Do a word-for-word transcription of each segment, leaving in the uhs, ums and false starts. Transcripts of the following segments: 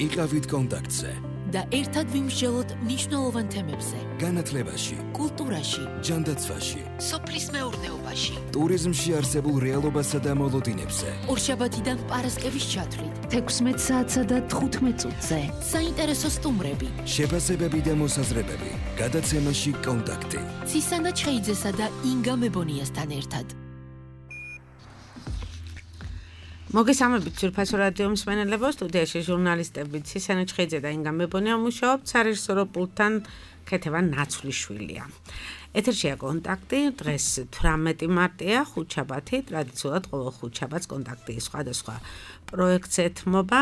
იყავით კონტაქტზე და ერთად ვიმსჯელოთ მნიშვნელოვან თემებზე. განათლებაში, კულტურაში, ჯანდაცვაში, სოფლის მეურნეობაში, ტურიზმში არსებულ რეალობასა და მოლოდინებზე. ორშაბათიდან პარასკევის ჩათვლით, თექვსმეტ საათსა და თხუთმეტ წუთზე. საინტერესო სტუმრები, შეფასებები და მოსაზრებები. გადაცემაში კონტაქტი. ცისანა ჩხეიძესა და ინგა მებონიასთან ერთად. მოგესალმებით ძვირფასო რადიო მსმენელებო, სტუდიაში ჟურნალისტები ცისანა ჩხეიძე და ინგა მებონია მუშაობთ, სარეჟისორო პულტთან ქეთევან ნაცვლიშვილია. ეთერშია კონტაქტი, დღეს თვრამეტი მარტია, ხუთშაბათი, ტრადიციულად ყოველ ხუთშაბათს კონტაქტი სხვადასხვა პროექტს ეთმობა.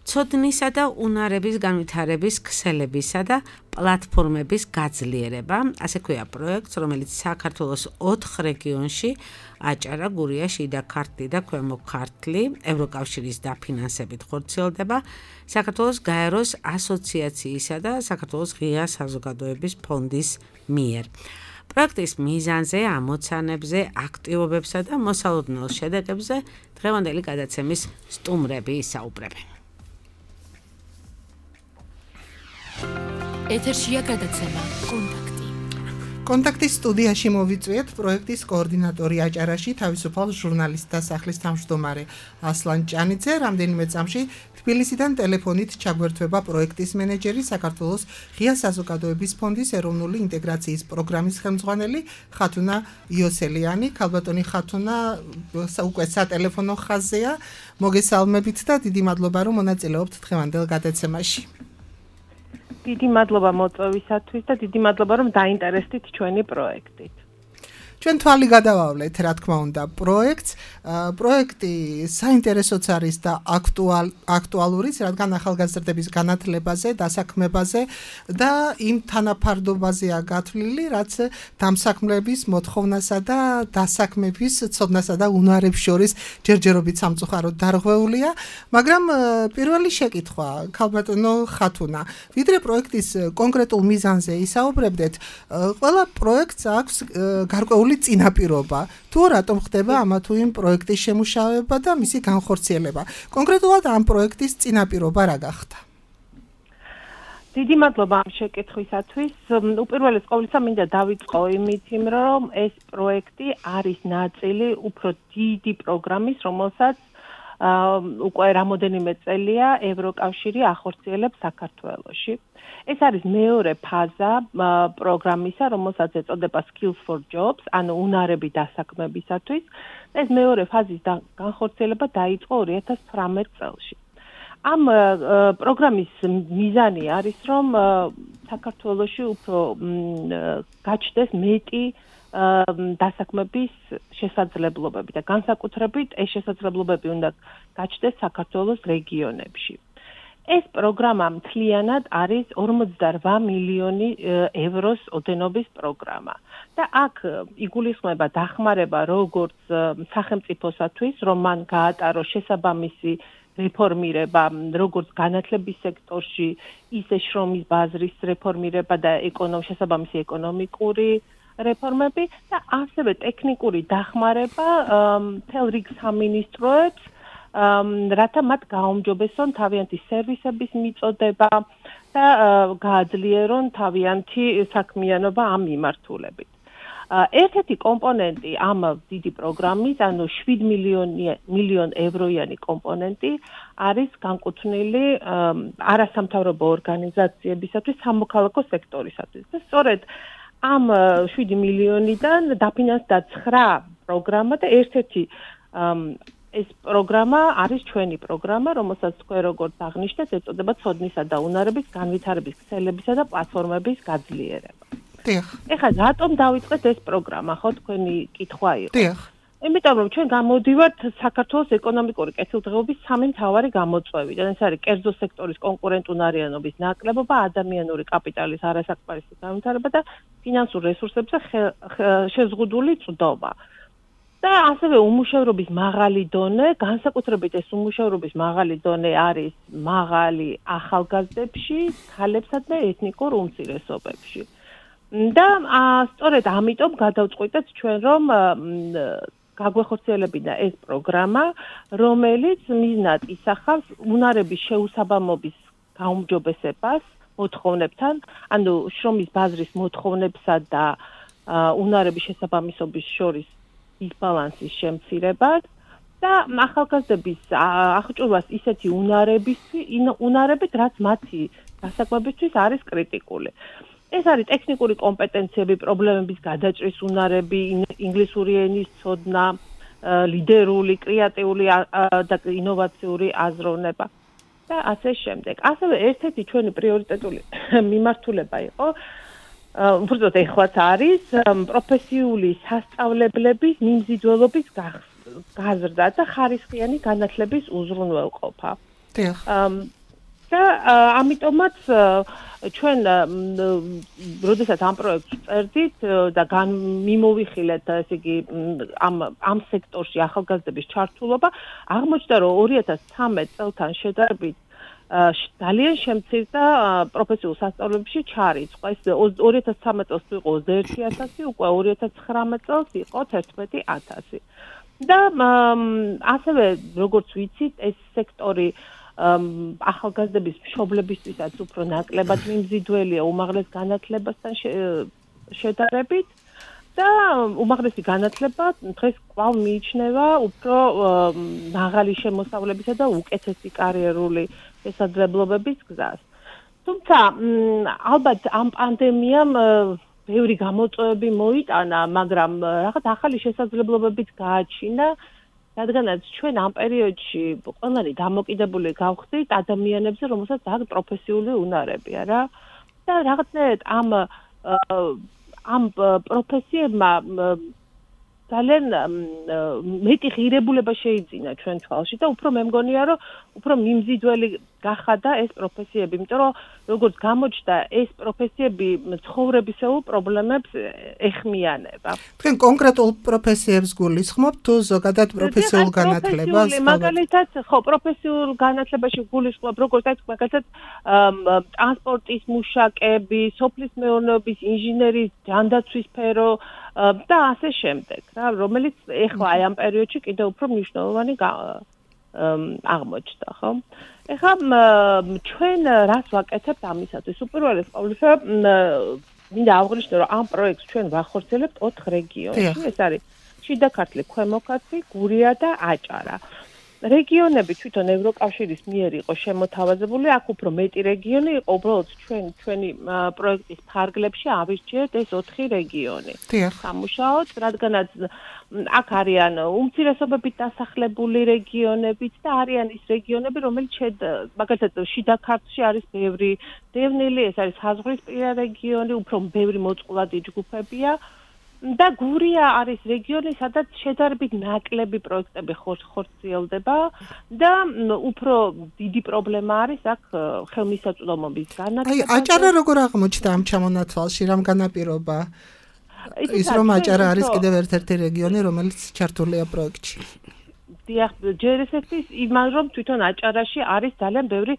ცოდნისა და უნარების განვითარების ქსელებისა და პლატფორმების გაძლიერება, ასე ქვია პროექტს, რომელიც საქართველოს ოთხ რეგიონში, აჭარა, გურია, შიდა ქართლი და ქვემო ქართლი, ევროკავშირის დაფინანსებით ხორციელდება, საქართველოს გაეროს ასოციაციისა და საქართველოს ღია საზოგადოების ფონდის მიერ. პროექტის მიზანზე, ამოცანებზე, აქტივობებსა და მოსალოდნელ შედეგებზე დღევანდელი გადაცემის სტუმრები ისაუბრებენ. ეთერშია გადაცემა კონტაქტი. კონტაქტის სტუდიაში მოვიწვიეთ პროექტის კოორდინატორი აჭარაში, თავისუფალ ჟურნალისტთა სახლის თავმჯდომარე ასლან ჭანიძე, რამდენიმე წამში თბილისიდან ტელეფონით ჩაგვერთვება პროექტის მენეჯერი, საქართველოს ღია საზოგადოების ფონდის ეროვნული ინტეგრაციის პროგრამის ხელმძღვანელი ხათუნა იოსელიანი. ქალბატონი ხათუნა უკვე სატელეფონო ხაზზეა. მოგესალმებით და დიდი მადლობა, რომ მონაწილეობთ დღევანდელ გადაცემაში. დიდი მადლობა მოწვევისათვის და დიდი მადლობა, რომ დაინტერესდით ჩვენი პროექტით. ჩვენ თვალი გადავავლეთ, რა თქმა უნდა, პროექტს. პროექტი საინტერესოც არის და აქტუალ აქტუალურიც, რადგან ახალგაზრდების განათლებაზე, დასაქმებაზე და იმ თანაფარდობაზეა გათვლილი, რაც დამსაქმლების მოთხოვნასა და დასაქმების ცოდნასა და უნარებს შორის ჯერჯერობით სამწუხაროდ დარღვეულია, მაგრამ პირველი შეკითხვა, ქალბატონო ხათუნა, ვიდრე პროექტის კონკრეტულ მიზანზე ისაუბრებდეთ, ყველა პროექტს აქვს გარკვეული წინაპირობა. თუ რატომ ხდება ამა თუ იმ პროექტის შემუშავება და მისი განხორციელება? კონკრეტულად ამ პროექტის წინაპირობა რა გახდა? დიდი მადლობა ამ შეკითხვისათვის. უპირველეს ყოვლისა მინდა დავიწყო იმით, რომ ეს პროექტი არის ნაწილი უფრო დიდი პროგრამის, რომელსაც უკვე რამოდენიმე წელია ევროკავშირი ახორციელებს საქართველოში. ეს არის მეორე ფაზა პროგრამისა, რომელსაც ეწოდება Skills for Jobs, ანუ უნარები დასაქმებისათვის. ეს მეორე ფაზის განხორციელება დაიწყო ორი ათას თვრამეტ წელს. ამ პროგრამის მიზანი არის, რომ საქართველოში უფრო გაჩნდეს მეტი დასაქმების შესაძლებლობები და განსაკუთრებით ეს შესაძლებლობები უნდა გაჩნდეს საქართველოს რეგიონებში. ეს პროგრამა მთლიანად არის ორმოცდარვა მილიონი ევროს ოდენობის პროგრამა და აქ იგულისხმება დახმარება როგორც სახელმწიფოსათვის, რომ მან გაატაროს შესაბამისი რეფორმირება როგორც განათლების სექტორში, ისე შრომის ბაზრის რეფორმირება და შესაბამისი ეკონომიკური რეფორმები და ასევე ტექნიკური დახმარება მთელ რიგ სამინისტროებს, რათა მათ გააუმჯობესონ თავიანთი სერვისების მიწოდება და გააძლიერონ თავიანთი საქმიანობა ამ მიმართულებით. ერთ-ერთი კომპონენტი ამ დიდი პროგრამის, ანუ შვიდ მილიონ ევროიანი კომპონენტი არის განკუთვნილი არასამთავრობო ორგანიზაციებისათვის, სამოქალაქო სექტორისათვის. და სწორედ ამ შვიდი მილიონიდან დაფინანსდა ცხრა პროგრამა და ერთ-ერთი ეს პროგრამა არის ჩვენი პროგრამა, რომელსაც თქვენ როგორც აღნიშნეთ, ეწოდება ცოდნისა და უნარების განვითარების ქსელებისა და პლატფორმების გაძლიერება. დიახ. ეხლა რატომ დავიწყეთ ეს პროგრამა, ხო, თქვენი კითხვა იყო. დიახ. იმიტომ რომ ჩვენ გამოდივართ საქართველოს ეკონომიკური კეთილდღეობის სამი მთავარი გამოწვევიდან. ეს არის კერძო სექტორის კონკურენტუნარიანობის ნაკლებობა, ადამიანური კაპიტალის არასაკმარისი განვითარება და ფინანსურ რესურსებზე შეზღუდული წვდომა. და ასევე უმუშევრობის მაღალი დონე, განსაკუთრებით ეს უმუშევრობის მაღალი დონე არის მაღალი ახალგაზრდებში, ქალებსა და ეთნიკურ უმცირესობებში. და სწორედ ამიტომ გადავწყვიტეთ ჩვენ, რომ გაგვეხორციელებინა ეს პროგრამა, რომელიც მიზნად ისახავს უნარების შეუსაბამობის გაუმჯობესებას მოთხოვნებთან, ანუ შრომის ბაზრის მოთხოვნებსა და უნარების შესაბამისობის შორის დისბალანსის შემცირებას და ახალგაზრდების აღჭურვას ისეთი უნარებისთვის, უნარებით, რაც მათი დასაკვებისთვის არის კრიტიკული. ეს არის ტექნიკური კომპეტენციები, პრობლემების გადაჭრის უნარები, ინგლისური ენის ცოდნა, ლიდერული, კრეატიული და ინოვაციური აზროვნება და ასე შემდეგ. ასევე ერთ-ერთი ჩვენი პრიორიტეტული მიმართულება იყო, უბრალოდ ეხლაც არის პროფესიული სასწავლებლების მიმზიდველობის გაზრდა და ხარისხიანი განათლების უზრუნველყოფა. დიახ. და ამიტომაც ჩვენ როდესაც ამ პროექტს წერდით და მიმოვიხილეთ ესე იგი ამ ამ სექტორში ახალგაზრდების ჩართულობა, აღმოჩნდა რომ ორი ათას ცხრამეტ წელთან შედარებით ძალიან შემცირდა პროფესიულ სასწავლებლებში ჩარიცხვა. ეს ორი ათას ცხრამეტ წელს იყო ოცდაერთი ათასი, უკვე ორი ათას ცხრამეტ წელს იყო თერთმეტი ათასი. და ასევე როგორც ვიცით, ეს სექტორი ახალგაზრდების მშობლებისთვისაც უფრო ნაკლებად მიმზიდველია უმაღლეს განათლებასთან შედარებით და უმაღლესი განათლება დღეს კვლავ მიიჩნევა უფრო მაღალი შემოსავლებისა და უკეთესი კარიერული შესაძლებლობების გზას. თუმცა ალბათ ამ პანდემიამ ბევრი გამოწვევები მოიტანა, მაგრამ რაღაც ახალი შესაძლებლობებიც გააჩინა, რადგანაც ჩვენ ამ პერიოდში ყველანი დამოკიდებული გავხდით ადამიანებზე, რომელსაც აქვს პროფესიული უნარებია რა. და რაღაცნაირად ამ ამ პროფესიებმა ძალიან მეტი ღირებულება შეიძინა ჩვენ თვალში და უფრო მე მგონია, რომ უფრო მიმზიდველი გახადა ეს პროფესიები, იმიტომ რომ როგორც გამოჩნდა, ეს პროფესიები ცხოვრებისეულ პრობლემებს ეხმიანება. თქვენ კონკრეტულ პროფესიებს გულისხმობთ თუ ზოგადად პროფესიულ განათლებას? მაგალითად, ხო, პროფესიულ განათლებაში გულისხმობ, როგორც აი მაგალითად ტრანსპორტის მუშაკები, სოფლის მეურნეობის ინჟინერის, ჯანდაცვის სფერო და ასე შემდეგ, რა, რომელიც ეხლა აი ამ პერიოდში კიდევ უფრო მნიშვნელოვანი აღმოჩნდა, ხო? ეხლა ჩვენ რას ვაკეთებთ ამისათვის? უპირველეს ყოვლისა, მინდა აღვნიშნო, რომ ამ პროექტს ჩვენ ვახორციელებთ ოთხ რეგიონში. ეს არის შიდა ქართლი, ქვემო ქართლი, გურია და აჭარა. რეგიონები თვითონ ევროკავშირის მიერ იყო შემოთავაზებული, აქ უფრო მეტი რეგიონი იყო, უბრალოდ ჩვენ ჩვენი პროექტის ფარგლებში ავირჩიეთ ეს ოთხი რეგიონი. სამუშაოდ, რადგანაც აქ არიან უმცირესობებით დასახლებული რეგიონებიც და არიან ის რეგიონები, რომელიც მაგალითად შიდა ქართლში არის ბევრი დევნილი, ეს არის საზღვრისპირა რეგიონი, უფრო ბევრი მოწყვლადი ჯგუფებია. და გურია არის რეგიონი, სადაც შედარებით ნაკლები პროექტები ხორციელდება და უფრო დიდი პრობლემა არის აქ ხელმისაწვდომობის განათლება. აი, აჭარა როგორ აღმოჩნდა ამ ჩამონათვალში, რამ განაპირობა? ის რომ აჭარა არის კიდევ ერთ-ერთი რეგიონი, რომელიც ჩართულია პროექტში. დიახ, ჯერ ესეთის იმან რომ თვითონ აჭარაში არის ძალიან ბევრი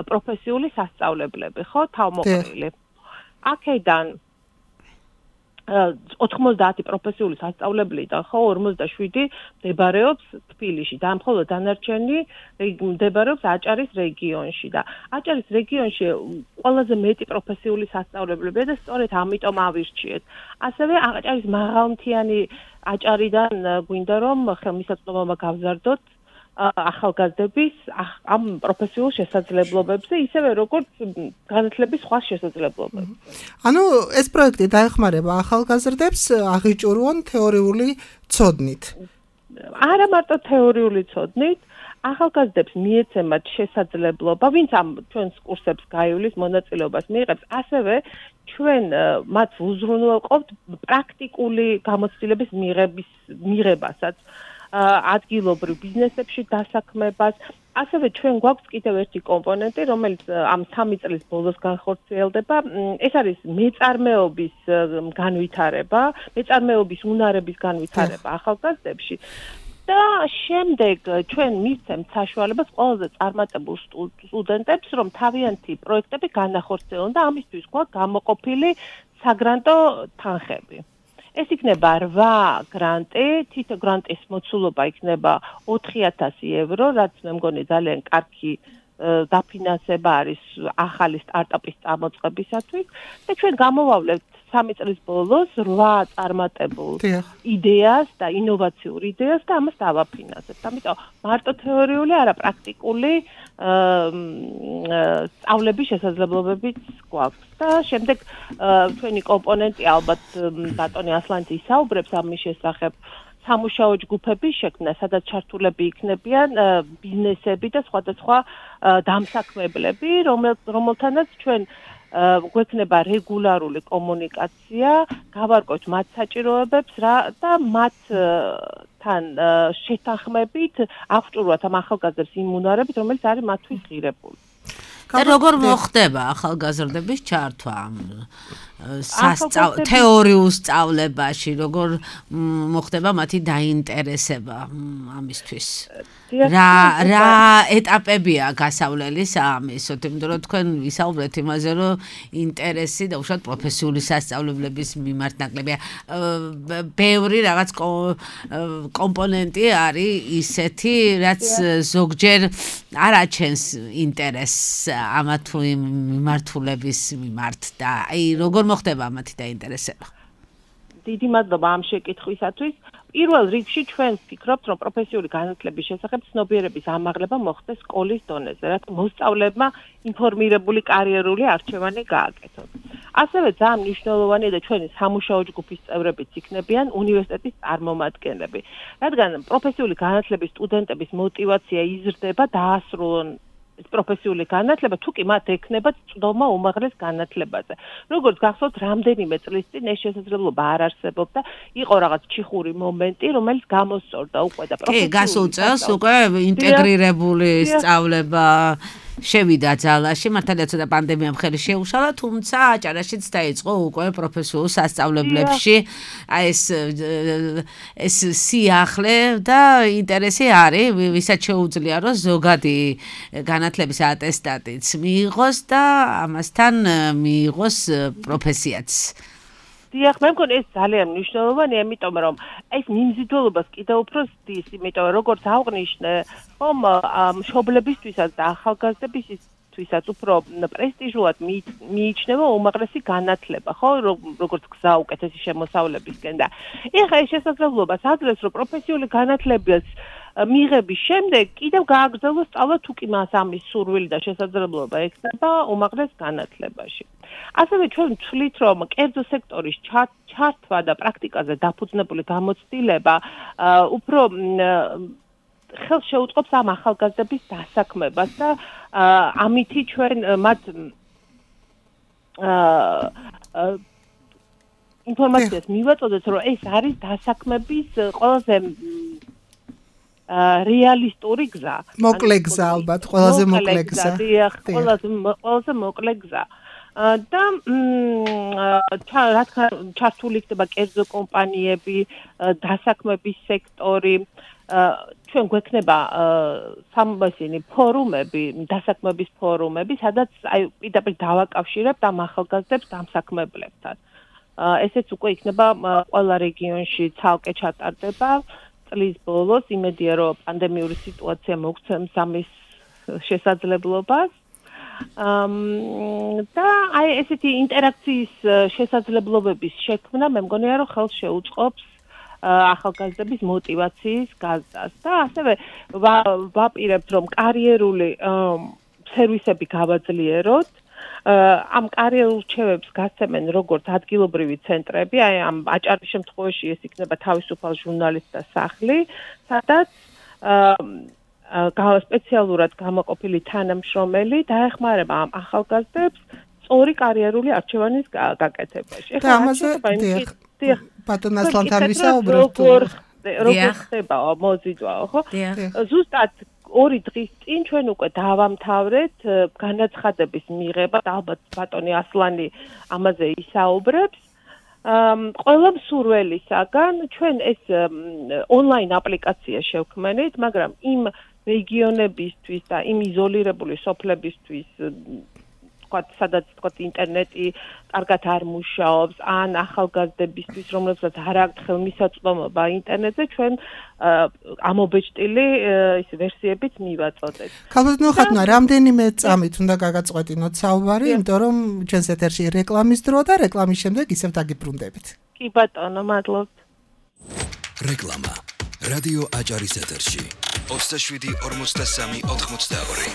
პროფესიული სასწავლებლები, ხო, თავმოყრილი. აქედან ოთხმოცდაათი პროფესიული სასწავლებლიდან ხო ორმოცდაშვიდი მდებარეობს თბილისში და მხოლოდ დანარჩენი მდებარეობს აჭარის რეგიონში და აჭარის რეგიონში ყველაზე მეტი პროფესიული სასწავლებლებია და სწორედ ამიტომ ავირჩიეთ. ასევე აჭარის მაღალმთიანი აჭარიდან გვინდა რომ ხელმისაწვდომობა გავზარდოთ ახალგაზრდების ამ პროფესიულ შესაძლებლობებზე, ისევე როგორც განათლების სხვა შესაძლებლობებზე. ანუ ეს პროექტი დაეხმარება ახალგაზრდებს აღიჭურვონ თეორიული ცოდნით. არა მარტო თეორიული ცოდნით, ახალგაზრდებს მიეცემათ შესაძლებლობა, ვინც ამ ჩვენს კურსებს გაივლის მონაწილეობას მიიღებს, ასევე ჩვენ მათ უზრუნველყოფთ პრაქტიკული გამოცდილების მიღების მიღებასაც. ადგილობრივ ბიზნესებში დასაქმებას. ასევე ჩვენ გვაქვს კიდევ ერთი კომპონენტი, რომელიც ამ სამი წლის ბოლოს განხორციელდება. ეს არის მეწარმეობის განვითარება, მეწარმეობის უნარების განვითარება ახალგაზრდებში. და შემდეგ ჩვენ მივცემთ საშუალებას ყველაზე წარმატებულ სტუდენტებს, რომ თავიანთი პროექტები განახორციელონ და ამისთვის გვაქვს გამოყოფილი საგრანტო თანხები. ეს იქნება რვა გრანტი, თითო გრანტის მოცულობა იქნება ოთხი ათასი ევრო, რაც მე მგონი ძალიან კარგი დაფინანსება არის ახალი სტარტაპის წამოწყებისათვის და ჩვენ გამოვავლევთ სამი წლის ბოლოს რვა წარმატებულ იდეას და ინოვაციურ იდეას და ამას დავაფინანსებთ. ამიტომ მარტო თეორიული, არა პრაქტიკული სწავლების შესაძლებლობებიც გვაქვს. და შემდეგ ჩვენი კომპონენტი ალბათ ბატონი ასლანძე ისაუბრებს ამის შესახებ სამუშაო ჯგუფების შექმნა, სადაც ჩართულები იქნებიან ბიზნესები და სხვადასხვა დამსაქმებლები, რომელთანაც ჩვენ გვექნება რეგულარული კომუნიკაცია, გავარკვევთ მათ საჭიროებებს და მათთან შეთანხმებით აღჭურვათ ამ ახალგაზრდებს იმ უნარებით, რომელიც არის მათთვის ღირებული. და როგორ მოხდება ახალგაზრდების ჩართვა თეორიულ სწავლებაში, როგორ მოხდება მათი დაინტერესება ამისთვის? რა რა ეტაპებია გასავლელის ამისოთ, იმიტომ რომ თქვენ ვისაუბრეთ იმაზე, რომ ინტერესი და უშუალოდ პროფესიული სასწავლებლების მიმართ ნაკლებია. ბევრი რაღაც კომპონენტი არის ისეთი, რაც ზოგჯერ არ აჩენს ინტერესს ამა თუ იმ მიმართულების მიმართ და აი როგორ მოხდება მათი დაინტერესება? დიდი მადლობა ამ შეკითხვისათვის. პირველ რიგში ჩვენ ვფიქრობთ, რომ პროფესიული განათლების შესახებ ცნობიერების ამაღლება მოხდეს სკოლის დონეზე, რათა მოსწავლეებმა ინფორმირებული კარიერული არჩევანი გააკეთონ. ასევე ძალიან მნიშვნელოვანია და ჩვენი სამუშაო ჯგუფის წევრებიც იქნებიან უნივერსიტეტის წარმომადგენლები, რადგან პროფესიული განათლების სტუდენტების мотиваცია იზრდება დაასრულონ პროფესიული განათლება, თუ კი მათ ექნებათ წვდომა უმაღლეს განათლებაზე. როგორც გახსოვთ, რამდენიმე წლის წინ ეს შესაძლებლობა არ არსებობდა, იყო რაღაც ჩიხური მომენტი, რომელიც გამოსწორდა უკვე და პროფესიული. კი, გასულ წელს უკვე ინტეგრირებული სწავლება შევიდა ძალაში, მართალია ცოტა პანდემიამ ხელი შეუშალა, თუმცა აჭარაშიც დაიწყო უკვე პროფესიულ სასწავლებლებში აი ეს ეს სიახლე და ინტერესი არის, ვისაც შეუძლია რომ ზოგადი განათლების ატესტატიც მიიღოს და ამასთან მიიღოს პროფესიაც. დიახ, მე მგონი ეს ძალიან მნიშვნელოვანია, იმიტომ რომ ეს მიმზიდველობას კიდევ უფრო ზრდის, იმიტომ რომ როგორც აღვნიშნე, ხომ მშობლებისთვისაც და ახალგაზრდებისთვისაც უფრო პრესტიჟულად მიიჩნევა უმაღლესი განათლება, ხო, როგორც გზა უკეთესი შემოსავლებისკენ და ეხლა ეს შესაძლებლობას აძლევს, რომ პროფესიული განათლების მიღების შემდეგ კიდევ გააგრძელოს სწავლა თუ კი მას ამის სურვილი და შესაძლებლობა ექნება უმაღლეს განათლებაში. ასევე ჩვენ ვთვლით, რომ კერძო სექტორის ჩართვა და პრაქტიკაზე დაფუძნებული გამოცდილება უფრო ხელს შეუწყობს ამ ახალგაზრდების დასაქმებას და ამითი ჩვენ მათ ინფორმაციას მივაწოდეთ, რომ ეს არის დასაქმების ყველაზე რეალისტური გზა. მოკლე გზა ალბათ, ყველაზე მოკლე გზა. დიახ, ყველაზე ყველაზე მოკლე გზა. და რა თქმა უნდა ჩართული იქნება კერძო კომპანიები, დასაქმების სექტორი, ჩვენ გვექნება სამბასინი ფორუმები, დასაქმების ფორუმები, სადაც აი პირდაპირ დავაკავშირებთ ამ ახალგაზრდებს დამსაქმებლებთან. ესეც უკვე იქნება ყველა რეგიონში ცალკე ჩატარდება. წლის ბოლოს იმედია, რომ პანდემიური სიტუაცია მოგცემს ამის შესაძლებლობას. და აი ესეთი ინტერაქციის შესაძლებლობების შექმნა მე მგონია, რომ ხელს შეუწყობს ახალგაზრდების мотиваციის გაზრდას და ასევე ვაპირებთ, რომ კარიერული სერვისები გავაძლიეროთ. ამ კარიერულ რჩევებს გასცემენ როგორც ადგილობრივი ცენტრები, აი ამ აჭარის შემთხვევაში ეს იქნება თავისუფალ ჟურნალისტთა სახლი, სადაც სპეციალურად გამოყოფილი თანამშრომელი დაეხმარება ამ ახალგაზრდებს სწორი კარიერული არჩევანის გაკეთებაში. და ამაზე დიახ, ბატონ ასლანთან ვისაუბრებთ. როგორ ხდება მოზიდვა, ხო? ზუსტად ორი დღის წინ ჩვენ უკვე დავამთავრეთ განაცხადების მიღება და ალბათ ბატონი ასლანი ამაზე ისაუბრებს. ყველა მსურველისაგან ჩვენ ეს ონლაინ აპლიკაცია შევქმნით, მაგრამ იმ რეგიონებისთვის და იმ იზოლირებული სოფლებისთვის თქვათ, სადაც თქვათ ინტერნეტი კარგად არ მუშაობს, ან ახალგაზრდებისთვის, რომლებსაც არ აქვთ ხელმისაწვდომობა ინტერნეტზე, ჩვენ ამობეჭდილი ის ვერსიებიც მივაწოდეთ. ქალბატონო ხათუნა, რამდენიმე წამით უნდა გაგაწყვეტინოთ საუბარი, იმიტომ რომ ჩვენს ეთერში რეკლამის დროა და რეკლამის შემდეგ ისევ დაგიბრუნდებით. კი ბატონო, მადლობთ. რეკლამა. რადიო აჭარის ეთერში. ოცდაშვიდი ორმოცდასამი ოთხმოცდაორი.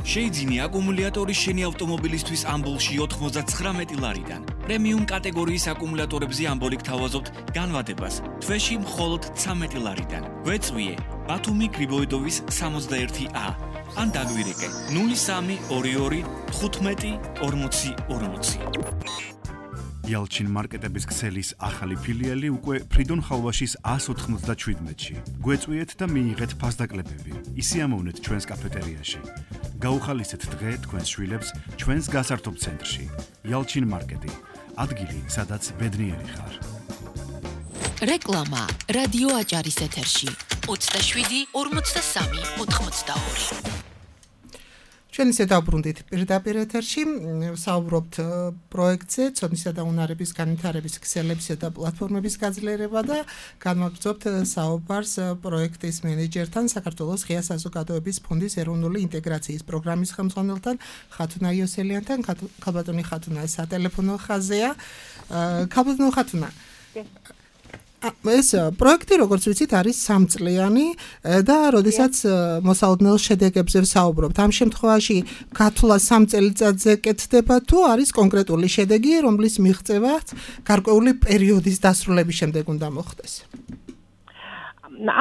შეიძინე აკუმულატორი შენი ავტომობილისთვის ამბოლში ოთხმოცდათხრამეტი ლარიდან. პრემიუმ კატეგორიის აკუმულატორებზე ამბოლი გთავაზობთ განვადებას თვეში მხოლოდ ცამეტი ლარიდან. გვეწვიე ბათუმი გრიბოედოვის სამოცდაერთი ა ან დაგვირეკე ნული სამი ორი ორი თხუთმეტი ორმოცი ორმოცი. Yalchin მარკეტების ქსელის ახალი ფილიალი უკვე ფრიდონ ხალვაშის ას ოთხმოცდაშვიდმეტში. გვეწვიეთ და მიიღეთ ფასდაკლებები. ისი ამოვნეთ ჩვენს კაფეტერიაში. გაუხალისეთ დღე თქვენს შვილებს ჩვენს გასართობ ცენტრში. Yalchin მარკეტი. ადგილი, სადაც ბედნიერი ხარ. რეკლამა რადიო აჭარის ეთერში. ოცდაშვიდი ორმოცდასამი ოთხმოცდაორი. ჩვენ ისე დავბრუნდით პირდაპირ ეთერში, საუბრობთ პროექტზე, ცოდნისა და უნარების განვითარების ქსელებისა და პლატფორმების გაძლიერება და განვაგრძობთ საუბარს პროექტის მენეჯერთან, საქართველოს ღია საზოგადოების ფონდის ეროვნული ინტეგრაციის პროგრამის ხელმძღვანელთან, ხათუნა იოსელიანთან. ქალბატონი ხათუნა სატელეფონო ხაზია. ქალბატონო ხათუნა, ეს პროექტი, როგორც ვიცით, არის სამწლიანი და როდესაც მოსალოდნელ შედეგებზე ვსაუბრობთ, ამ შემთხვევაში გათვლა სამ წელიწადზე კეთდება თუ არის კონკრეტული შედეგი, რომლის მიღწევაც გარკვეული პერიოდის დასრულების შემდეგ უნდა მოხდეს?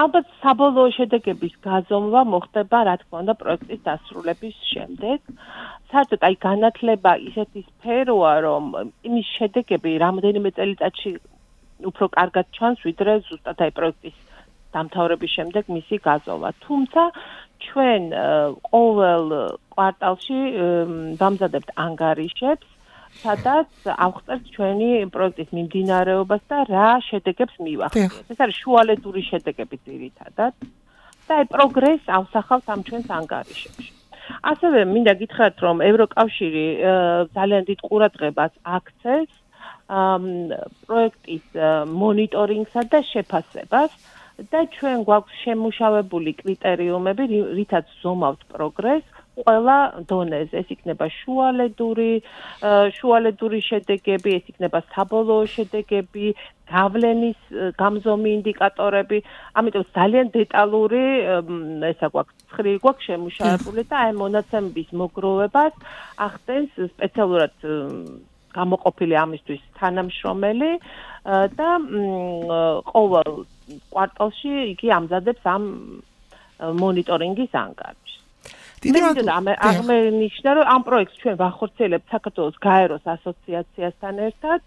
ალბათ საბოლოო შედეგების გაზომვა მოხდება, რა თქმა უნდა, პროექტის დასრულების შემდეგ. საერთოდ აი განათლება ისეთი სფეროა, რომ იმის შედეგები რამდენიმე წელიწადში უფრო კარგად ჩანს, ვიდრე ზუსტად აი პროექტის დამთავრების შემდეგ მისი გაზომა. თუმცა ჩვენ ყოველ კვარტალში ვამზადებთ ანგარიშებს, სადაც ავხსნათ ჩვენი პროექტის მიმდინარეობას და რა შედეგებს მივახციეთ. ეს არის შუალედური შედეგები ძირითადად და აი პროგრესს ავსახავთ ამ ჩვენს ანგარიშებში. ასევე მინდა გითხრათ, რომ ევროკავშირი ძალიან დიდ ყურადღებას აქცევს პროექტის მონიტორინგსა და შეფასებას და ჩვენ გვაქვს შემუშავებული კრიტერიუმები, რითაც ზომავთ პროგრესს ყველა დონეზე. ეს იქნება შუალედური, შუალედური შედეგები, ეს იქნება საბოლოო შედეგები, გავლენის გამზომი ინდიკატორები. ამიტომ ძალიან დეტალური ესა გვაქვს ცხრილი გვაქვს შემუშავებული და აი მონაცემების მოგროვებას ახდენს სპეციალურად გამოყოფილი ამისთვის თანამშრომელი და ყოველ კვარტალში იგი ამზადებს ამ მონიტორინგის ანგარიშს. დიდი აღმენიშნა, რომ ამ პროექტს ჩვენ ვახორციელებთ საქართველოს გაეროს ასოციაციასთან ერთად.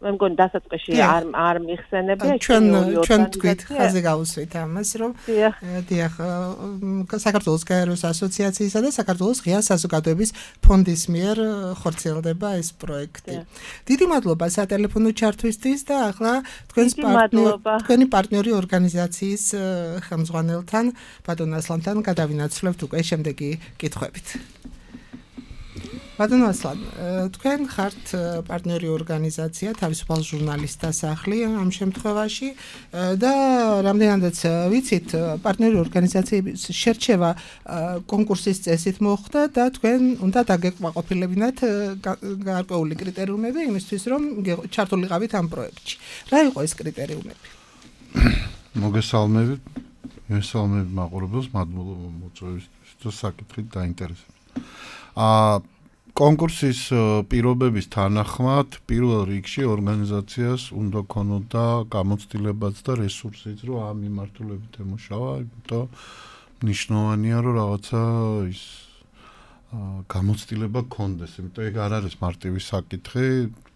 მე მგონი დასაწყისში არ არ მიხსენებია ჩვენ ჩვენ თქვით ხაზე გავუსვით ამას, რომ დიახ, საქართველოს გაეროს ასოციაციისა და საქართველოს ღია საზოგადოების ფონდის მიერ ხორციელდება ეს პროექტი. დიდი მადლობა სატელეფონო ჩართვისთვის და ახლა თქვენს თქვენი პარტნიორი ორგანიზაციის ხელმძღვანელთან, ბატონ ასლანთან გადავინაცვლებთ უკვე შემდეგი კითხვებით. ბატონო ასლან, თქვენ ხართ პარტნიორი ორგანიზაცია, თავისუფალ ჟურნალისტთა სახლი ამ შემთხვევაში და რამდენადაც ვიცით, პარტნიორი ორგანიზაციების შერჩევა კონკურსის წესით მოხდა და თქვენ უნდა დაგეკმაყოფილებინათ გარკვეული კრიტერიუმები იმისთვის, რომ ჩართულიყავით ამ პროექტში. რა იყო ეს კრიტერიუმები? მოგესალმებით. მესალმებით მაყურებელს, მადლობა მოწვევისთვის და საკითხით დაინტერესებით. აა კონკურსის პირობების თანახმად პირველ რიგში ორგანიზაციას უნდა ქონოდა გამოცდილებაც და რესურსიც, რომ ამ მიმართულებით ემუშავა, იმიტომ ნიშნავენია, რომ რაღაცა ის გამოცდილება ქონდეს, იმიტომ ეგ არ არის მარტივი საკითხი.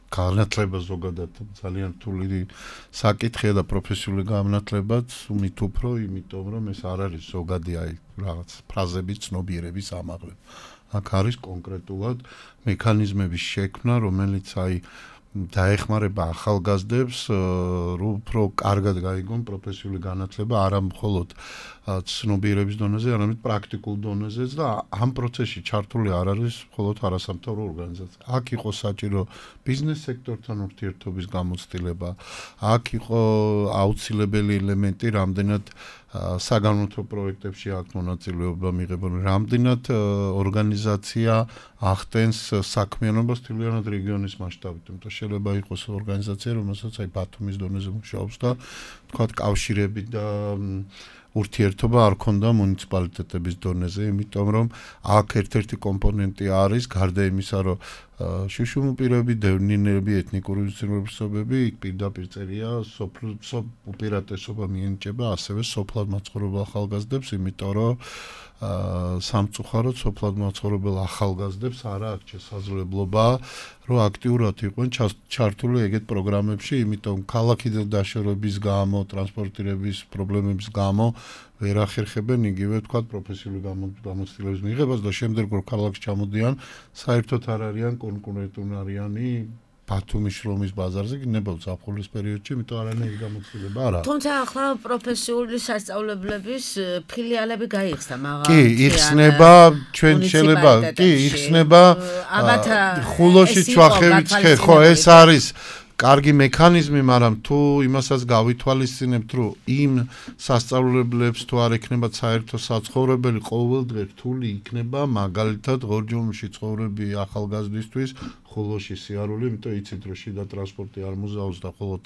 განათლება ზოგადად ძალიან რთული საკითხია და პროფესიული განათლებაც უმით უფრო, იმიტომ რომ ეს არ არის ზოგადი აი რაღაც ფრაზების ცნობიერების ამაღლება. აქ არის კონკრეტულად მექანიზმების შექმნა, რომელიც აი დაეხმარება ახალგაზრდებს რომ უფრო კარგად გაიგონ პროფესიული განათლება არა მხოლოდ ცნობიერების დონეზე, არამედ პრაქტიკულ დონეზეც და ამ პროცესში ჩართული არ არის მხოლოდ არასამთავრობო ორგანიზაცია. აქ იყო საჭირო ბიზნეს სექტორთან ურთიერთობის გამოცდილება, აქ იყო აუცილებელი ელემენტი რამდენად საგანმანათლებლო პროექტებში აქ მონაწილეობა მიღებენ, რამდენად ორგანიზაცია ახდენს საქმიანობას თლიანად რეგიონის მასშტაბით. იმიტომ შეიძლება იყოს ორგანიზაცია, რომელსაც აი ბათუმის დონეზე მუშაობს და თქვათ კავშირები და ურთიერთობა არ ქონდა მუნიციპალიტეტების დონეზე, იმიტომ რომ აქ ერთ-ერთი კომპონენტი არის გარდა იმისა, რომ შუშუმ პირები, დევნინები, ეთნიკური უმცირესობები იქ პირდაპირ წერია სოფლ უპირატესობა მიენიჭება ასევე სოფლად მაცხოვრებელ ახალგაზრდებს, იმიტომ რომ სამწუხაროდ სოფლად მაცხოვრებელ ახალგაზრდებს არ აქვს შესაძლებლობა რომ აქტიურად იყვნენ ჩართული ეგეთ პროგრამებში, იმიტომ ქალაქიდან დაშორების გამო, ტრანსპორტირების პრობლემების გამო ვერ ახერხებენ იგივე თქვა პროფესიული გამოცდილების მიღებას და შემდეგ რომ ქალაქში ჩამოდიან, საერთოდ არ არიან კონკურენტუნარიანი ბათუმის შრომის ბაზარზე გინებავთ ზაფხულის პერიოდში, იმიტომ არანაირი გამოცდილება არ არის. თუმცა ახლა პროფესიული სასწავლებლების ფილიალები გაიხსნა, მაგრამ კი, იხსნება, ჩვენ შეიძლება, კი, იხსნება ხულოში ჩვახევიც ხე, ხო, ეს არის კარგი მექანიზმი, მაგრამ თუ იმასაც გავითვალისწინებთ, რომ იმ სასწავლებლებს თუ არ ექნებათ საერთო საცხოვრებელი ყოველდღე რთული იქნება, მაგალითად ღორჯომში ცხოვრები ახალგაზრდისთვის ხულოში სიარული, იმიტომ იცით რომ შიდა ტრანსპორტი არ მუზაობს და მხოლოდ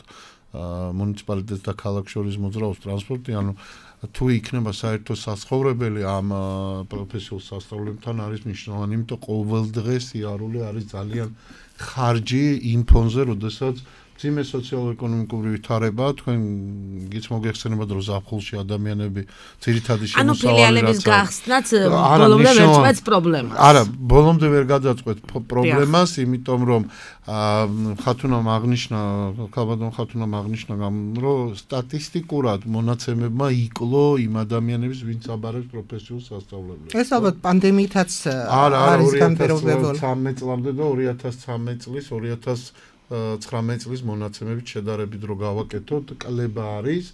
მუნიციპალიტეტს და ქალაქს შორის მოძრაობს ტრანსპორტი, ანუ თუ იქნება საერთო საცხოვრებელი ამ პროფესიულ სასწავლებლებთან არის მნიშვნელოვანი, იმიტომ ყოველდღე სიარული არის ძალიან ხარჯი იმ ფონზე, როდესაც მძიმე სოციალურ-ეკონომიკური ვითარება, თქვენ გიც მოგეხსენებათ, რომ ზაფხულში ადამიანები ძირითადი შემოსავალი ანუ ფილიალების გახსნაც ბოლომდე ვერ წყვეტს პრობლემას. არა, ბოლომდე ვერ გადაწყვეტ პრობლემას, იმიტომ რომ ხათუნამ აღნიშნა, ქალბატონ ხათუნამ აღნიშნა, რომ სტატისტიკურად მონაცემებმა იკლო იმ ადამიანების, ვინც აბარებს პროფესიულ სასწავლებლებს. ეს ალბათ პანდემიითაც არის განპირობებული. სამი წლამდე და ორი ათას ცხრამეტ წლის ორი ათას ცხრამეტ წლის მონაცემებით შედარებით რო გავაკეთოთ, კლება არის,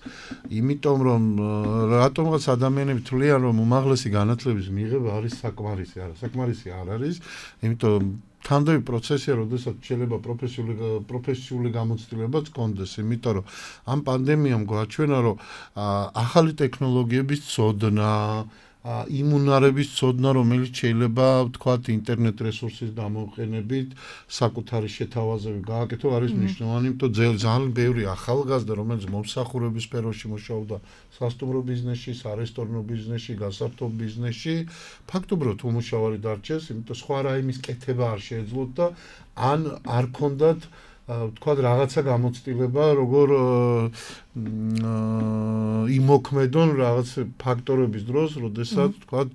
იმიტომ რომ რატომღაც ადამიანები თვლიან, რომ უმაღლესი განათლების მიღება არის საკმარისი, არა, საკმარისი არ არის, იმიტომ თანდები პროცესია, როდესაც შეიძლება პროფესიული პროფესიული გამოცდილებაც კონდეს, იმიტომ რომ ამ პანდემიამ გვაჩვენა, რომ ახალი ტექნოლოგიების ცოდნა იმუნარების ცოდნა, რომელიც შეიძლება ვთქვათ ინტერნეტ რესურსის გამოყენებით საკუთარი შეთავაზები გააკეთო, არის მნიშვნელოვანი, იმიტომ ძალიან ბევრი ახალგაზრდა, რომელიც მომსახურების სფეროში მუშაობდა სასტუმრო ბიზნესში, სარესტორნო ბიზნესში, გასართობ ბიზნესში, ფაქტობრივად უმუშავარი დარჩეს, იმიტომ სხვა რაიმის კეთება არ შეეძლოთ და ან არ ქონდათ ვთქვათ რაღაცა გამოცდილება, როგორ იმოქმედონ რაღაც ფაქტორების დროს, როდესაც ვთქვათ,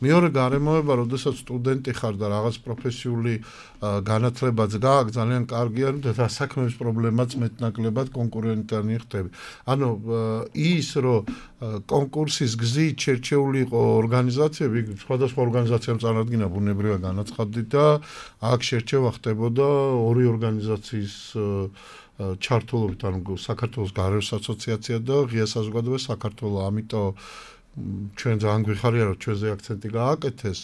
მეორე გარემოება, როდესაც სტუდენტი ხარ და რაღაც პროფესიული განათლებაც გააქვს, ძალიან კარგია, რომ დასაქმების პრობლემაც მეტნაკლებად კონკურენტიანი ხდები. ანუ ის, რომ კონკურსის გზით შერჩეული იყო ორგანიზაციები, სხვადასხვა ორგანიზაციამ წარადგინა ბუნებრივი განაცხადი და აქ შერჩევა ხდებოდა ორი ორგანიზაციის ჩართულობით, ანუ საქართველოს გარემოს ასოციაცია და ღია საზოგადოება საქართველოს, ამიტომ ჩვენ ძალიან გვიხარია, რომ ჩვენზე აქცენტი გააკეთეს.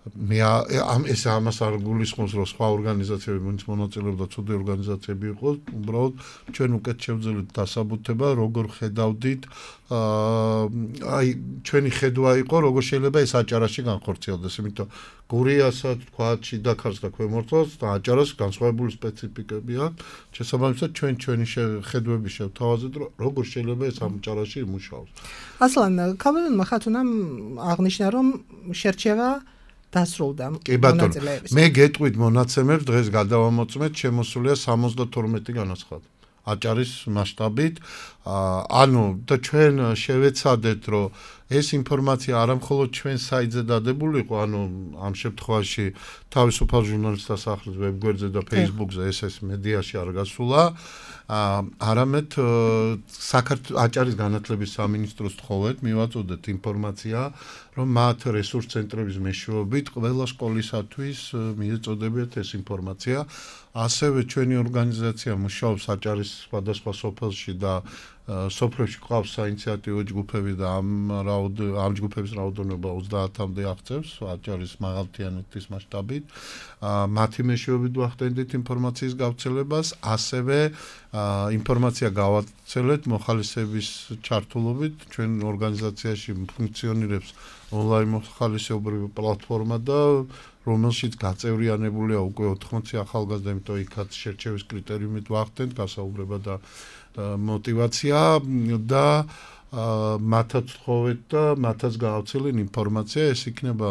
მე ამ ეს ამას არ გულისხმობს, რომ სხვა ორგანიზაციები ვინც მონაწილეობდა ცუდი ორგანიზაციები იყოს, უბრალოდ ჩვენ უკეთ შევძელით დასაბუთება, როგორ ხედავდით, აი ჩვენი ხედვა იყო, როგორ შეიძლება ეს აჭარაში განხორციელდეს, იმიტომ გურიასაც, თქვათ, შიდაქარს და ქვემორთოს და აჭარას განსხვავებული სპეციფიკები აქვს. შესაბამისად, ჩვენ ჩვენი ხედვები შევთავაზეთ, რომ როგორ შეიძლება ეს აჭარაში იმუშაოს. ასლან, ქალბატონმა ხათუნამ აღნიშნა, რომ შერჩევა დასრულდა მონაწილეების. მე გეტყვით მონაცემებს დღეს გადავამოწმეთ, შემოსულია სამოცდათორმეტი განაცხადი. აჭარის მასშტაბით. ანუ და ჩვენ შევეცადეთ, რომ ეს ინფორმაცია არა მხოლოდ ჩვენ საიტზე დადებული იყო, ანუ ამ შემთხვევაში თავისუფალ ჟურნალისტთა სახლის ვებგვერდზე და Facebook-ზე ეს ეს მედიაში არ გასულა. არამედ საქართველოს აჭარის განათლების სამინისტროს თხოვეთ, მივაწოდეთ ინფორმაცია, რომ მათ რესურს ცენტრების მეშვეობით ყველა სკოლისათვის მიეწოდებათ ეს ინფორმაცია. ასევე ჩვენი ორგანიზაცია მუშაობს აჭარის სხვადასხვა სოფელში და სოფლებში ყავს საინიციატივო ჯგუფები და ამ რაოდ ამ ჯგუფების რაოდენობა ოცდაათამდე აღწევს აჭარის მაღალმთიანეთის მასშტაბით. მათი მეშვეობით ვახდენდით ინფორმაციის გავრცელებას, ასევე ინფორმაცია გავაცელეთ მოხალისეების ჩართულობით. ჩვენ ორგანიზაციაში ფუნქციონირებს ონლაინ მოხალისეობრივი პლატფორმა და რომელშიც გაწევრიანებულია უკვე ოთხმოცი ახალგაზრდა, იმიტომ იქაც შერჩევის კრიტერიუმით ვახდენთ გასაუბრება და мотивация და მათაც თხოვეთ და მათაც გაავრცელენ ინფორმაცია, ეს იქნება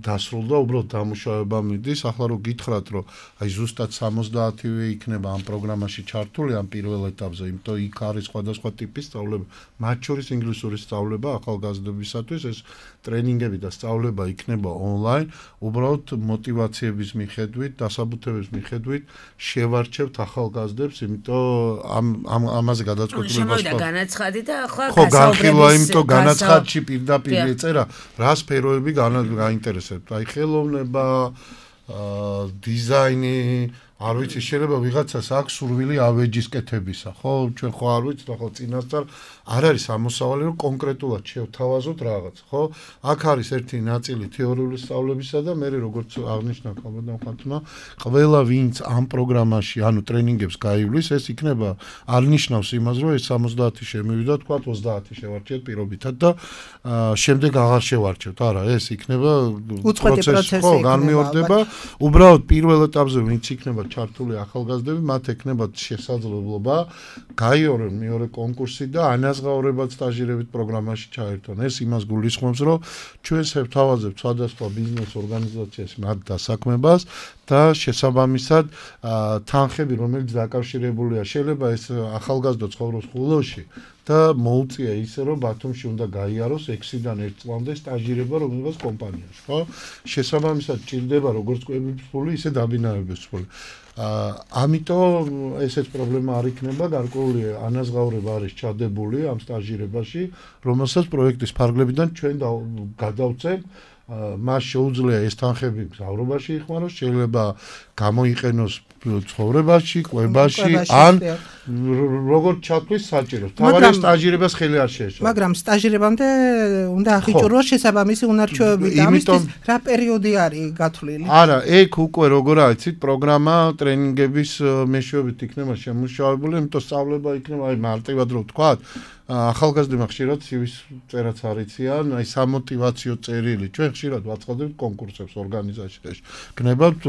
დასრულდა, უბრალოდ დამუშავება მიდის. ახლა რო გითხრათ, რომ აი ზუსტად სამოცდაათივე იქნება ამ პროგრამაში ჩართული ამ პირველ ეტაპზე, იმიტომ იქ არის სხვადასხვა ტიპის სწავლება, მათ შორის ინგლისური სწავლება ახალგაზრდებისათვის, ეს ტრენინგები და სწავლება იქნება ონლაინ, უბრალოდ мотивациების მიხედვით, დასაბუთების მიხედვით შევარჩევთ ახალგაზრდებს, იმიტომ ამ ამ ამაზე გადაწყვეტილებას შემოვიდა განაცხადი და ახლა ხო განხილვა, იმიტომ განაცხადში პირდაპირ ეწერა რა სფეროები გაინტერესებთ. აი ხელოვნება, დიზაინი, არ ვიცი, შეიძლება ვიღაცას აქვს სურვილი ავეჯის კეთებისა, ხო? ჩვენ ხო არ ვიცით, ახლა წინასწარ არ არის ამოსავალი, რომ კონკრეტულად შევთავაზოთ რაღაც, ხო? აქ არის ერთი ნაწილი თეორიული სწავლებისა და მე როგორც აღნიშნა ხალბატონ ხათუნა, ყველა ვინც ამ პროგრამაში, ანუ ტრენინგებს გაივლის, ეს იქნება არ ნიშნავს იმას, რომ ეს სამოცდაათი შემივიდა, თქვა ოცდაათი შევარჩიეთ პირობითად და შემდეგ აღარ შევარჩევთ. არა, ეს იქნება პროცესი, ხო, განმეორდება. უბრალოდ პირველ ეტაპზე ვინც იქნება ჩართული ახალგაზრდები, მათ ექნებათ შესაძლებლობა გაიორონ მეორე კონკურსი და ანაზღაურებად სტაჟირებით პროგრამაში ჩაერთონ. ეს იმას გულისხმობს, რომ ჩვენ შევთავაზებთ სხვადასხვა ბიზნეს ორგანიზაციას მათ დასაქმებას და შესაბამისად თანხები, რომელიც დაკავშირებულია, შეიძლება ეს ახალგაზრდა ცხოვრობს ხულოში და მოუწია ისე, რომ ბათუმში უნდა გაიაროს ექვსიდან ერთ წლამდე სტაჟირება რომელიმე კომპანიაში, ხო? შესაბამისად ჭირდება როგორც კვების ფული, ისე დაბინავების ფული. ამიტომ ესეც პრობლემა არ იქნება, გარკვეული ანაზღაურება არის ჩადებული ამ სტაჟირებაში, რომელსაც პროექტის ფარგლებიდან ჩვენ გადავწევთ. მას შეუძლია ეს თანხები მგზავრობაში იხმაროს, შეიძლება გამოიყენოს ცხოვრებაში, კვებაში, ან როგორც ჩათვლის საჭიროს. თავარი სტაჟირებას ხელი არ შეეშვა. მაგრამ სტაჟირებამდე უნდა აღიჭუროს შესაბამისი უნარჩვევები და ამისთვის რა პერიოდი არის გათვლილი? არა, ეგ უკვე როგორ აიცით, პროგრამა ტრენინგების მეშვეობით იქნება შემუშავებული, იმიტომ სწავლება იქნება, აი მარტივად რო ვთქვათ, ახალგაზრდებმა ხშირად სივის წერაც არ იციან, აი სამოტივაციო წერილი. ჩვენ ხშირად ვაწყობთ კონკურსებს ორგანიზაციაში. გნებავთ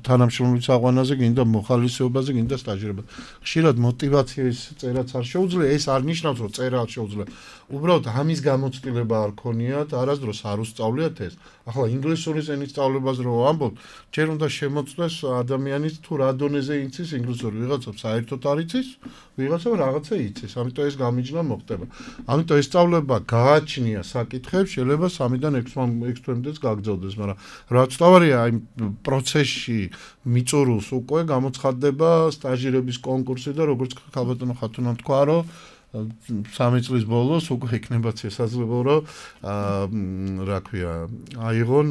თანამშრომლის აღვანაზე, გინდა მოხალისეობაზე, გინდა სტაჟირებაზე. ხშირად мотивациების წერაც არ შეუძლია, ეს არ ნიშნავს, რომ წერა არ შეუძლია. უბრალოდ ამის გამოცდილება არ ქონიათ, არასდროს არ უსწავლიათ ეს. ახლა ინგლისურის ენის სწავლებაზე რო ვამბობ, ჯერ უნდა შემოწმდეს ადამიანის თუ რა დონეზე იცის ინგლისური, ვიღაცა საერთოდ არ იცის, ვიღაცა რაღაცა იცის, ამიტომ ეს გამიჯნა მოხდება. ამიტომ ეს სწავლება გააჩნია საკითხებს, შეიძლება სამიდან ექვს თვემდეც გაგრძელდეს, მაგრამ რაც თავარია, აი პროცესში მიწურულს უკვე გამოცხადდება სტაჟირების კონკურსი და როგორც ხალბატონო ხათუნამ თქვა, რომ სამი წლის ბოლოს უკვე იქნება შესაძლებლობა, რომ რა ქვია, აიღონ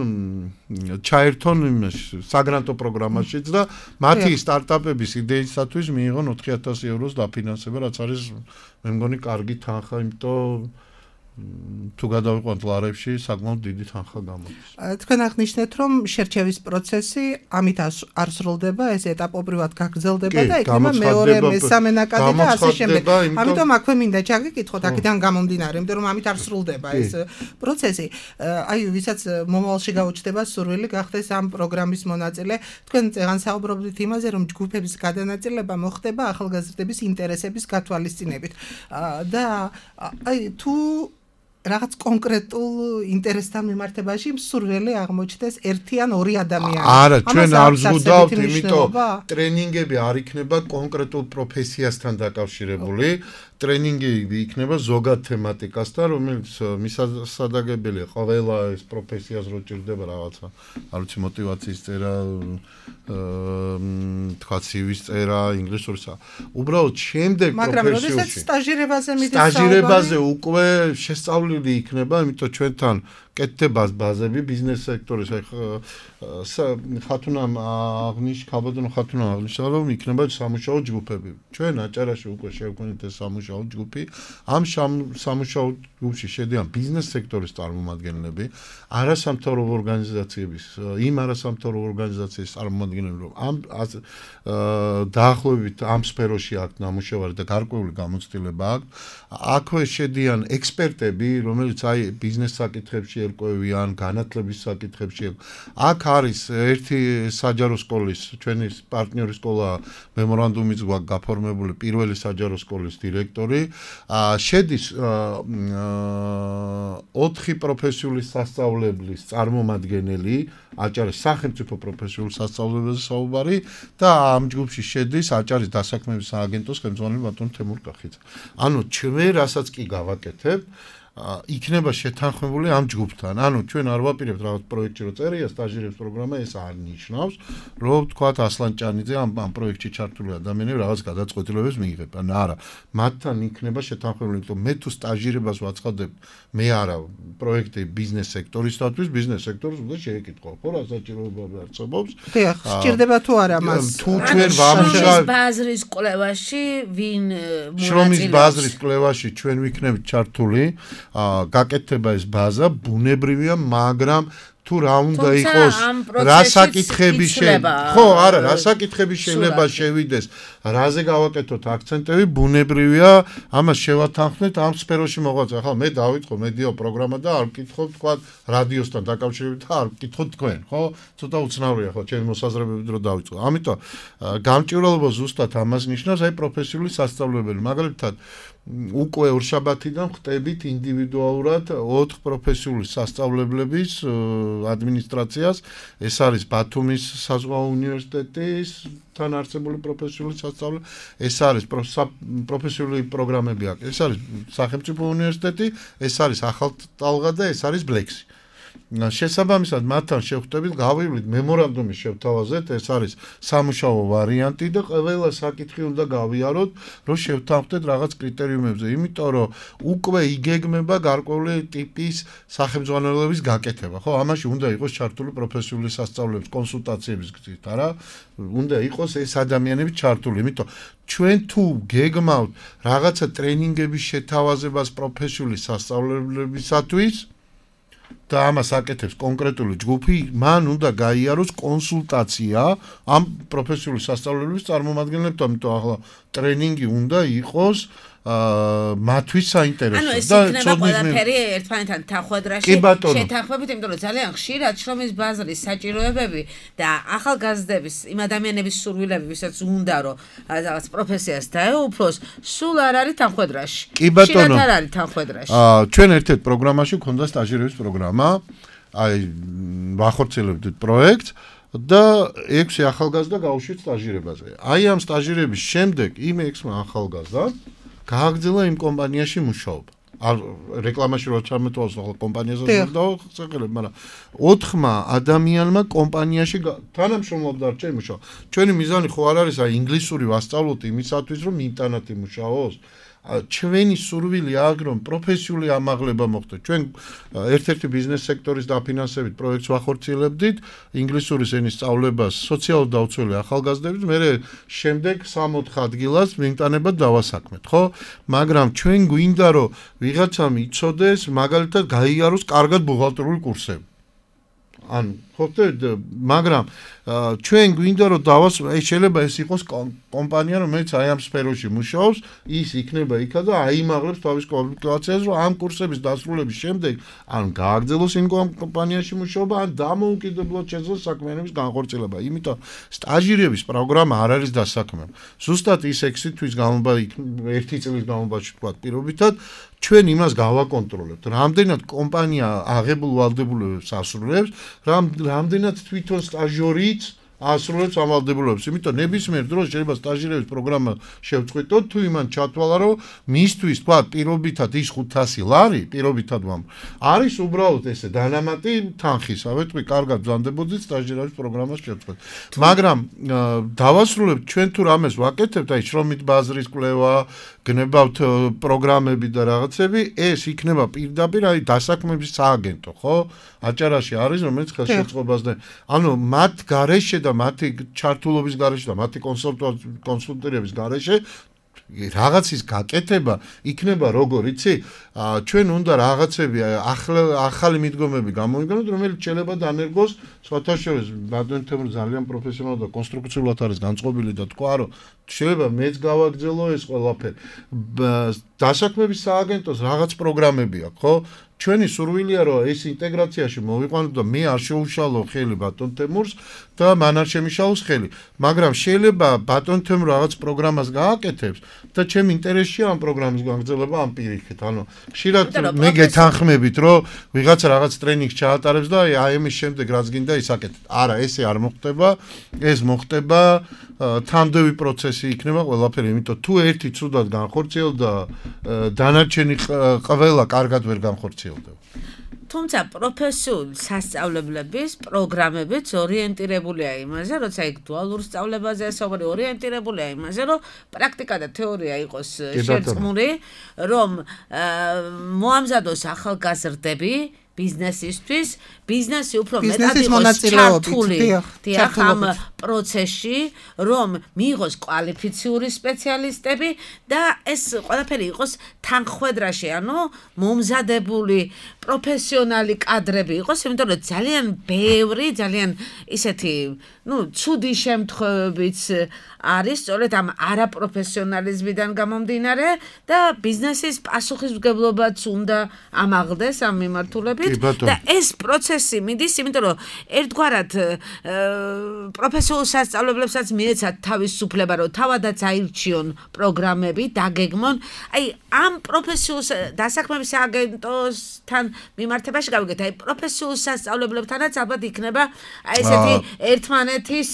ჩაერთონ საგრანტო პროგრამაშიც და მათი სტარტაპების იდეისათვის მიიღონ ოთხი ათასი ევროს დაფინანსება, რაც არის მე მგონი კარგი თანხა, იმიტომ თუ გადავიყვანთ ლარებში, საკმაოდ დიდი თანხა გამოდის. თქვენ აღნიშნეთ, რომ შერჩევის პროცესი ამით არ სრულდება, ეს ეტაპობრივად გაგრძელდება და იქნება მეორე, მესამე ნაკადი და ასე შემდეგ. ამიტომ აქვე მინდა ჩაგიკითხოთ, აქედან გამომდინარე, იმიტომ რომ ამით არ სრულდება ეს პროცესი. აი, ვისაც მომავალში გაუჩნდება სურვილი გახდეს ამ პროგრამის მონაწილე, თქვენ წეგან საუბრობდით იმაზე, რომ ჯგუფების გადანაწილება მოხდება ახალგაზრდების ინტერესების გათვალისწინებით. და აი, თუ რაღაც კონკრეტულ ინტერესთან მიმართებაში მსურველი აღმოჩნდეს ერთი ან ორი ადამიანი. არა, ჩვენ არ ვზღუდავთ, იმიტომ ტრენინგები არ იქნება კონკრეტულ პროფესიასთან დაკავშირებული. ტრენინგი იქნება ზოგად თემატიკასთან, რომელიც მისასადაგებელია ყველა ეს პროფესიას რო ჭირდება რაღაცა, არ ვიცი, мотиваციის წერა, თქვა სივის წერა, ინგლისურის. უბრალოდ შემდეგ პროფესიაში. მაგრამ როდესაც სტაჟირებაზე მიდის საუბარი, სტაჟირებაზე უკვე შესწავლილი იქნება, იმიტომ ჩვენთან კეთდება ბაზები ბიზნეს სექტორის. ხათუნამ აღნიშნა, ხაბადონ ხათუნამ აღნიშნა, რომ იქნება სამუშაო ჯგუფები. ჩვენ აჭარაში უკვე შევქმნით ეს სამუშაო ჯგუფი. ამ სამუშაო ჯგუფში შედიან ბიზნეს სექტორის წარმომადგენლები, არასამთავრობო ორგანიზაციების, იმ არასამთავრობო ორგანიზაციის წარმომადგენლები, რომ ამ დაახლოებით ამ სფეროში აქვს ნამუშევარი და გარკვეული გამოცდილება აქვს. აქვე შედიან ექსპერტები, რომელიც აი ბიზნეს საკითხებში ერკვევიან, განათლების საკითხებში. აქ არის ერთი საჯარო სკოლის, ჩვენი პარტნიორი სკოლა მემორანდუმის გვაქვს გაფორმებული პირველი საჯარო სკოლის დირექტორი. შედის ოთხი პროფესიული სასწავლებლის წარმომადგენელი, აჭარის სახელმწიფო პროფესიული სასწავლებელზე საუბარი და ამ ჯგუფში შედის აჭარის დასაქმების სააგენტოს ხელმძღვანელი ბატონი თემურ კახიძე. ანუ ჩვენ რასაც კი გავაკეთებ, იქნება შეთანხმებული ამ ჯგუფთან. ანუ ჩვენ არ ვაპირებთ რაღაც პროექტში რო წერია სტაჟირების პროგრამა, ეს არ ნიშნავს, რომ თქვათ ასლანჭანიძე ამ ამ პროექტში ჩართული ადამიანები რაღაც გადაწყვეტილებებს მიიღებენ. არა, მათთან იქნება შეთანხმებული, იმიტომ მე თუ სტაჟირებას ვაცხადებ, მე არა პროექტი ბიზნეს სექტორისათვის, ბიზნეს სექტორს უნდა შეეკითხო, ხო, რა საჭიროებები არსებობს. დიახ, სჭირდება თუ არა მას. თუ ჩვენ ვამუშავებთ ბაზრის კვლევაში, ვინ მონაწილეობს? შრომის ბაზრის კვლევაში ჩვენ ვიქნებით ჩართული. გაკეთდება ეს ბაზა, ბუნებრივია, მაგრამ თუ რა უნდა იყოს, რა საკითხები შეიძლება, ხო, არა, რა საკითხები შეიძლება შევიდეს, რაზე გავაკეთოთ აქცენტები, ბუნებრივია, ამას შევათანხმდეთ ამ სფეროში მოღვაწე. ახლა მე დავიწყო მედიო პროგრამა და არ ვკითხო, თქვა, რადიოსთან დაკავშირებით და არ ვკითხო თქვენ, ხო? ცოტა უცნაურია ხო, ჩემი მოსაზრებები დრო დავიწყო. ამიტომ გამჭვირვალობა ზუსტად ამას ნიშნავს, აი პროფესიული სასწავლებელი, მაგალითად უკვე ორშაბათიდან ხტებით ინდივიდუალურად ოთხ პროფესიული სასწავლებლების ადმინისტრაციას. ეს არის ბათუმის საზღვაო უნივერსიტეტის თან არსებული პროფესიული სასწავლებელი, ეს არის პროფესიული პროგრამები აქვს. ეს არის სახელმწიფო უნივერსიტეტი, ეს არის ახალტალღა და ეს არის ბლექსი. შესაბამისად მათთან შევხვდებით, გავივლით მემორანდუმის შევთავაზეთ, ეს არის სამუშაო ვარიანტი და ყველა საკითხი უნდა გავიაროთ, რომ შევთანხმდეთ რაღაც კრიტერიუმებზე, იმიტომ რომ უკვე იგეგმება გარკვეული ტიპის სახელმძღვანელოების გაკეთება, ხო? ამაში უნდა იყოს ჩართული პროფესიული სასწავლებლების კონსულტაციების გზით, არა? უნდა იყოს ეს ადამიანები ჩართული, იმიტომ ჩვენ თუ გეგმავთ რაღაცა ტრენინგების შეთავაზებას პროფესიული სასწავლებლებისათვის და ამას აკეთებს კონკრეტული ჯგუფი, მან უნდა გაიაროს კონსულტაცია ამ პროფესიული სასწავლებლების წარმომადგენლებთან, იმიტომ ახლა ტრენინგი უნდა იყოს მათთვის საინტერესო და იქნება ყველაფერი ერთმანეთთან თანხვედრაში შეთანხმებით, იმიტომ რომ ძალიან ხშირად შრომის ბაზრის საჭიროებები და ახალგაზრდების იმ ადამიანების სურვილები, ვისაც უნდა რომ რაღაც პროფესიას დაეუფლოს, სულ არ არის თანხვედრაში. ხშირად არ არის თანხვედრაში. ჩვენ ერთ-ერთ პროგრამაში გვქონდა სტაჟირების პროგრამა, აი ვახორციელებდით პროექტს და ექვსი ახალგაზრდა გავუშვით სტაჟირებაზე. აი ამ სტაჟირების შემდეგ იმ ექვსმა ახალგაზრდამ გააგრძელა იმ კომპანიაში მუშაობა. არ რეკლამაში რო ჩამეთვალოს ახლა კომპანიაზე დავხსენებ, მაგრამ ოთხმა ადამიანმა კომპანიაში თანამშრომლობდა ჩემ მუშაობა. ჩვენი მიზანი ხო არ არის აი ინგლისური ვასწავლოთ იმისათვის, რომ ინტერნეტ იმუშაოს. ჩვენი სურვილი აქვს, რომ პროფესიული ამაღლება მოხდეს. ჩვენ ერთ-ერთი ბიზნეს სექტორის დაფინანსებით პროექტს ვახორციელებდით, ინგლისურის ენის სწავლებას სოციალურად დაუცველი ახალგაზრდებს, მერე შემდეგ სამოთხ ადგილას მიმტანებად დავასაქმეთ, ხო? მაგრამ ჩვენ გვინდა, რომ ვიღაცამ იცოდეს, მაგალითად გაიაროს კარგად ბუღალტერული კურსები. ანუ ხოთეთ, მაგრამ ჩვენ გვინდა რომ დავას, აი შეიძლება ეს იყოს კომპანია, რომელიც აი ამ სფეროში მუშაობს, ის იქნება იქა და აიმაღლებს თავის კვალიფიკაციას, რომ ამ კურსების დასრულების შემდეგ ან გააგრძელოს იმ კომპანიაში მუშაობა, ან დამოუკიდებლად შეძლოს საქმიანობის განხორციელება. იმიტომ სტაჟირების პროგრამა არ არის დასაქმება. ზუსტად ის ექვსი თვის განმავლობაში, ერთი წლის განმავლობაში თქვა პირობითად, ჩვენ იმას გავაკონტროლებთ, რამდენად კომპანია აღებულ ვალდებულებებს ასრულებს, რამდენად თვითონ სტაჟიორიც ასრულებს ამ ვალდებულებებს. იმიტომ ნებისმიერ დროს შეიძლება სტაჟირების პროგრამა შევწყვიტოთ, თუ იმან ჩათვალა, რომ მისთვის თქვა პირობითად ის ხუთასი ლარი, პირობითად ვამ, არის უბრალოდ ესე დანამატი თანხისავე, თქვი, კარგად ბრძანდებოდით სტაჟირების პროგრამას შევწყვეტ. მაგრამ დავასრულებთ ჩვენ თუ რამეს ვაკეთებთ, აი შრომით ბაზრის კვლევა, გნებავთ პროგრამები და რაღაცები, ეს იქნება პირდაპირ აი დასაქმების სააგენტო, ხო? აჭარაში არის, რომელიც ხელშეწყობას და ანუ მათ გარეშე და მათი ჩართულობის გარეშე და მათი კონსულტირების გარეშე რაღაცის გაკეთება იქნება როგორ იცი ჩვენ უნდა რაღაცები ახალი მიდგომები გამოვიგონოთ რომელიც შეიძლება დანერგოს სხვათა შორის ბატონ თემურ ძალიან პროფესიონალურად და კონსტრუქციულად არის განწყობილი და თქვა რომ შეიძლება მეც გავაგრძელო ეს ყველაფერი დასაქმების სააგენტოს რაღაც პროგრამები აქვს ხო ჩვენი სურვილია რომ ეს ინტეგრაციაში მოვიყვანოთ და მე არ შეუშალო ხელი ბატონ თემურს და მან არ შემიშალოს ხელი მაგრამ შეიძლება ბატონ თემურ რაღაც პროგრამას გააკეთებს და ჩემ ინტერესშია ამ პროგრამის გაგრძელება ამ პირიქით ანუ ხშირად მე გეთანხმებით რომ ვიღაცა რაღაც ტრენინგს ჩაატარებს და აი ამის შემდეგ რაც გინდა ის აკეთებ არა ესე არ მოხდება ეს მოხდება თანდევი პროცესი იქნება ყველაფერი იმიტომ თუ ერთი ცუდად განხორციელდა დანარჩენი ყველა კარგად ვერ განხორციელდება თუმცა პროფესიული სასწავლებლების პროგრამებიც ორიენტირებულია იმაზე, როცა იქ დუალურ სწავლებაზე საუბარი ორიენტირებულია იმაზე, რომ პრაქტიკა და თეორია იყოს შერწყმული, რომ მოამზადოს ახალგაზრდები ბიზნესისთვის, ბიზნესი უფრო მეტად იყოს ჩართული დიახ ამ პროცესში, რომ მიიღოს კვალიფიციური სპეციალისტები და ეს ყველაფერი იყოს თანხმედრაში, ანუ მომზადებული პროფესიონალი კადრები იყოს, იმიტომ რომ ძალიან ბევრი, ძალიან ისეთი, ну, ცუდი შემთხვევებიც არის, სწორედ ამ არაპროფესიონალიზმიდან გამომდინარე და ბიზნესის პასუხისმგებლობაც უნდა ამაღლდეს ამ მიმართულებით და ეს პროცესი მიდის, იმიტომ რომ ერთგვარად პროფესიულ სასწავლებლებსაც მიეცათ თავისუფლება, რომ თავადაც აირჩიონ პროგრამები, დაგეგმონ. აი, ამ პროფესიულ დასაქმების სააგენტოსთან მიმართებაში გავიგეთ, აი პროფესიულ სასწავლებლებთანაც ალბათ იქნება აი ესეთი ერთმანეთის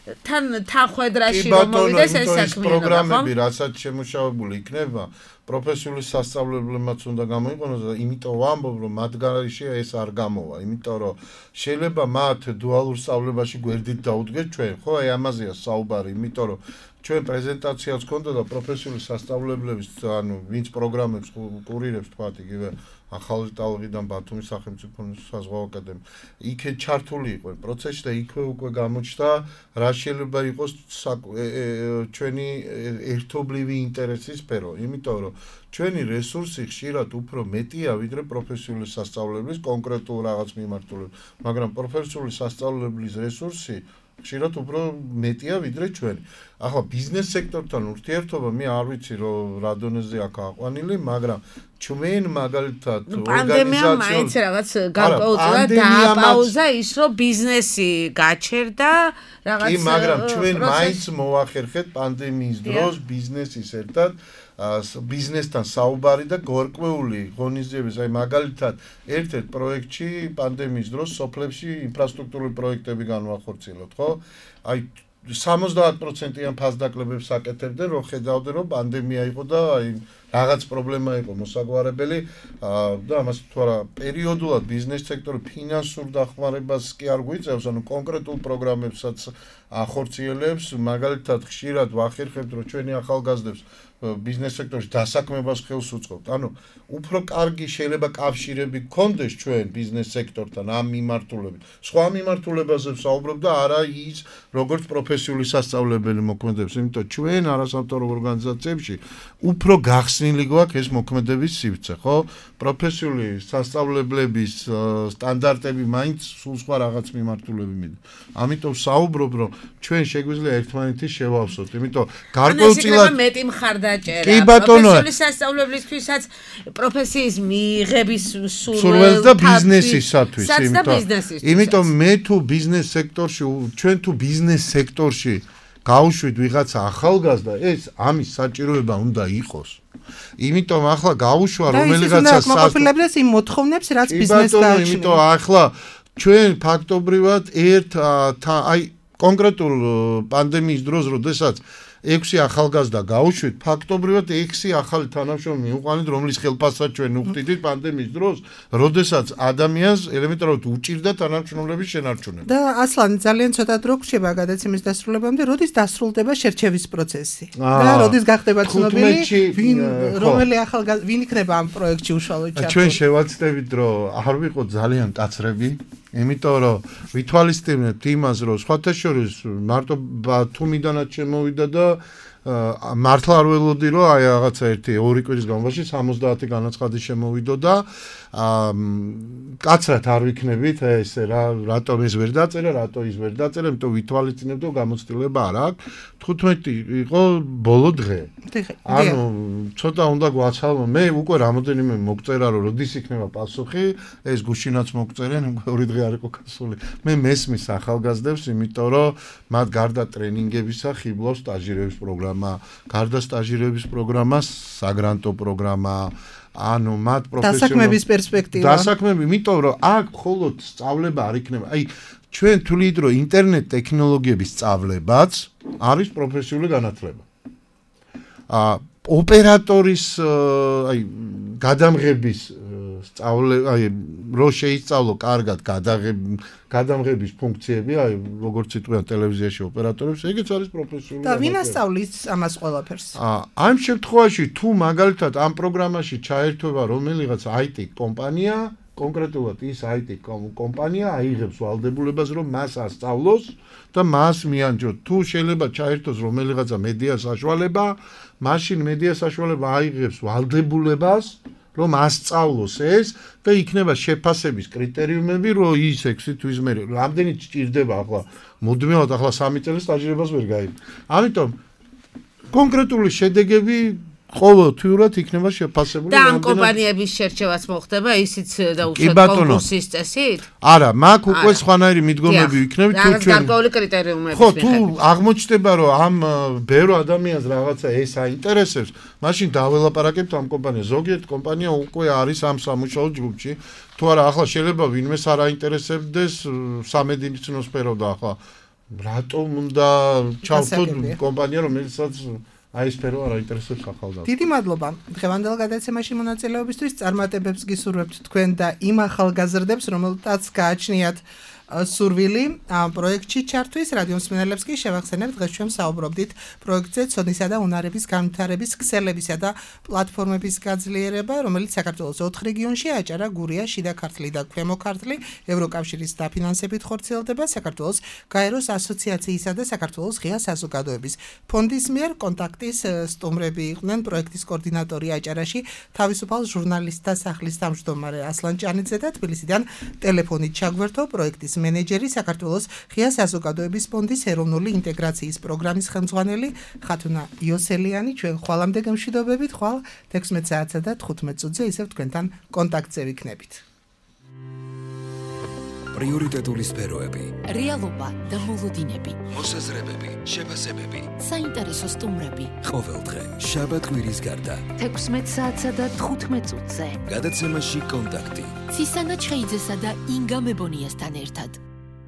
თან თანხმედრაში რომ მოვიდეს ეს საქმე პროგრამები რასაც შემუშავებული იქნება პროფესიული სასწავლებლებმაც უნდა გამოიყენოს და იმიტომ ვამბობ რომ მათ გარეშე ეს არ გამოვა იმიტომ რომ შეიძლება მათ დუალურ სწავლებაში გვერდით დაუდგეთ ჩვენ ხო აი ამაზეა საუბარი იმიტომ რომ ჩვენ პრეზენტაციაც ქონდა და პროფესიული სასწავლებლების ანუ ვინც პროგრამებს კურირებს თქვა იგივე ახალი ტალღიდან ბათუმის სახელმწიფო საზღვაო აკადემია იქე ჩართული იყო პროცესში და იქვე უკვე გამოჩნდა რა შეიძლება იყოს ჩვენი ერთობლივი ინტერესის სფერო იმიტომ რომ ჩვენი რესურსი ხშირად უფრო მეტია ვიდრე პროფესიული სასწავლებლის კონკრეტულ რაღაც მიმართულებით მაგრამ პროფესიული სასწავლებლის რესურსი ხშირად უფრო მეტია ვიდრე ჩვენი. ახლა ბიზნეს სექტორთან ურთიერთობა მე არ ვიცი რომ რა დონეზე აქ აყვანილი, მაგრამ ჩვენ მაგალითად ორგანიზაციულ მაინც რაღაც გარკვეულწილად დააპაუზა ის რომ ბიზნესი გაჩერდა რაღაც კი, მაგრამ ჩვენ მაინც მოახერხეთ პანდემიის დროს ბიზნესის ერთად ბიზნესთან საუბარი და გარკვეული ღონისძიების, აი მაგალითად ერთ-ერთ პროექტში პანდემიის დროს სოფლებში ინფრასტრუქტურული პროექტები განვახორციელოთ, ხო? აი სამოცდაათ პროცენტიან ფასდაკლებებს აკეთებდნენ, რომ ხედავდნენ, რომ პანდემია იყო და აი რაღაც პრობლემა იყო მოსაგვარებელი და ამას თუ არა პერიოდულად ბიზნეს სექტორი ფინანსურ დახმარებას კი არ გვიწევს, ანუ კონკრეტულ პროგრამებსაც ახორციელებს, მაგალითად ხშირად ვახერხებთ, რომ ჩვენი ახალგაზრდებს ბიზნეს სექტორში დასაქმებას ხელს უწყობთ. ანუ უფრო კარგი შეიძლება კავშირები გქონდეს ჩვენ ბიზნეს სექტორთან ამ მიმართულებით. სხვა მიმართულებაზე ვსაუბრობ და არა ის როგორც პროფესიული სასწავლებელი მოქმედებს, იმიტომ ჩვენ არასამთავრობო ორგანიზაციებში უფრო გახსნილი გვაქვს ეს მოქმედების სივრცე, ხო? პროფესიული სასწავლებლების სტანდარტები მაინც სულ სხვა რაღაც მიმართულები მიდის. ამიტომ ვსაუბრობ, რომ ჩვენ შეგვიძლია ერთმანეთის შევავსოთ, იმიტომ გარკვეულწილად მეტი მხარდაჭერა პროფესიული სასწავლებლისთვისაც პროფესიის მიღების სურვილს და ბიზნესისათვის, იმიტომ მე თუ ბიზნეს სექტორში, ჩვენ თუ ბიზნეს სექტორში გავუშვით ვიღაცა ახალგაზრდა, ეს ამის საჭიროება უნდა იყოს. იმიტომ ახლა გაუშვა რომელიღაცა საკმაყოფილებს იმ მოთხოვნებს, რაც ბიზნესს გააჩნია. იმიტომ ახლა ჩვენ ფაქტობრივად ერთ აი კონკრეტულ პანდემიის დროს, როდესაც ექვსი ახალგაზრდა გაუშვით, ფაქტობრივად ექვსი ახალი თანამშრომელი მივყვანით, რომლის ხელფასსაც ჩვენ უხდიდით პანდემიის დროს, როდესაც ადამიანს ელემენტარულად უჭირდა თანამშრომლების შენარჩუნება. და ასლანი ძალიან ცოტა დრო გრჩება გადაცემის დასრულებამდე, როდის დასრულდება შერჩევის პროცესი და როდის გახდება ცნობილი, ვინ რომელი ახალგაზრდა ვინ იქნება ამ პროექტში უშუალოდ ჩართული. ჩვენ შევაცდებით, რომ არ ვიყოთ ძალიან კაცრები. იმიტომ რომ ვითვალისწინებთ იმას, რომ სხვათა შორის მარტო ბათუმიდანაც შემოვიდა და მართლა არ ველოდი, რომ აი რაღაცა ერთი ორი კვირის განმავლობაში სამოცდაათი განაცხადი შემოვიდო და კაცრად არ ვიქნებით ესე რა, რატომ ეს ვერ დაწერა, რატო ის ვერ დაწერა, იმიტომ ვითვალისწინებთ, რომ გამოცდილება არ აქვს. თხუთმეტი იყო ბოლო დღე. ანუ ცოტა უნდა გვაცალო, მე უკვე რამოდენიმე მოგწერა, რომ როდის იქნება პასუხი, ეს გუშინაც მოგწერენ, ორი დღე არ იყო გასული. მე მესმის ახალგაზრდებს, იმიტომ რომ მათ გარდა ტრენინგებისა ხიბლავს სტაჟირების პროგრამა, გარდა სტაჟირების პროგრამა, საგრანტო პროგრამა, ანუ მათ პროფესიონალ დასაქმების პერსპექტივა. დასაქმები, იმიტომ რომ აქ მხოლოდ სწავლება არ იქნება. აი ჩვენ თვლით, რომ ინტერნეტ ტექნოლოგიების სწავლებაც არის პროფესიული განათლება. აა ოპერატორის აი გადამღების სწავლება, აი რო შეისწავლო კარგად გადამღების ფუნქციები, აი როგორც იტყვიან ტელევიზიაში ოპერატორებს, ეგეც არის პროფესიული. და ვინ ასწავლის ამას ყველაფერს? აა ამ შემთხვევაში თუ მაგალითად ამ პროგრამაში ჩაერთვება რომელიღაც აი ტი კომპანია, კონკრეტულად ის აი ტი კომპანია აიღებს ვალდებულებას, რომ მას ასწავლოს და მას მიანჯოთ. თუ შეიძლება ჩაერთოს რომელიღაცა მედია საშუალება, მაშინ მედია საშუალება აიღებს ვალდებულებას, რომ ასწავლოს ეს და იქნება შეფასების კრიტერიუმები, რომ ის ექვსი თვის მერე რამდენი ჭირდება ახლა მუდმივად ახლა სამი წელი სტაჟირებას ვერ გაიგო. ამიტომ კონკრეტული შედეგები ყოველთვიურად იქნება შეფასებული. და ამ კომპანიების შერჩევაც მოხდება ისიც და უშუალოდ კონკურსის წესით? არა, მაგ უკვე სხვანაირი მიდგომები იქნება თუ ჩვენ გარკვეული კრიტერიუმები. ხო, თუ აღმოჩნდება, რომ ამ ბევრ ადამიანს რაღაცა ეს აინტერესებს, მაშინ დაველაპარაკებთ ამ კომპანიას. ზოგიერთ კომპანია უკვე არის ამ სამუშაო ჯგუფში. თუ არა, ახლა შეიძლება ვინმეს არ აინტერესებდეს სამედიცინო სფერო და ახლა რატომ უნდა ჩავთოთ კომპანია, რომელსაც აი სფერო არ აინტერესებს ახალგაზრდებს. დიდი მადლობა დღევანდელ გადაცემაში მონაწილეობისთვის. წარმატებებს გისურვებთ თქვენ და იმ ახალგაზრდებს, რომელთაც გააჩნიათ სურვილი ამ პროექტში ჩართვის. რადიო მსმენელებს კი შევახსენებთ, დღეს ჩვენ საუბრობდით პროექტზე ცოდნისა და უნარების განვითარების ქსელებისა და პლატფორმების გაძლიერება, რომელიც საქართველოს ოთხ რეგიონში აჭარა, გურია, შიდა ქართლი და ქვემო ქართლი ევროკავშირის დაფინანსებით ხორციელდება. საქართველოს გაეროს ასოციაციისა და საქართველოს ღია საზოგადოების ფონდის მიერ. კონტაქტის სტუმრები იყვნენ პროექტის კოორდინატორი აჭარაში, თავისუფალ ჟურნალისტთა სახლის თავმჯდომარე ასლან ჭანიძე და თბილისიდან ტელეფონით ჩაგვერთო პროექტის მენეჯერი, საქართველოს ღია საზოგადოების ფონდის ეროვნული ინტეგრაციის პროგრამის ხელმძღვანელი ხათუნა იოსელიანი. ჩვენ ხვალამდე გემშვიდობებით, ხვალ თექვსმეტ საათსა და თხუთმეტ წუთზე ისევ თქვენთან კონტაქტზე ვიქნებით. პრიორიტეტული სფეროები, რეალობა და მოლოდინები, მოსაზრებები, შეფასებები, საინტერესო სტუმრები. ყოველდღე შაბათ-კვირის გარდა თექვსმეტ საათსა და თხუთმეტ წუთზე. გადაცემაში კონტაქტი. ცისანა ჩხეიძესა და ინგა მებონიასთან ერთად.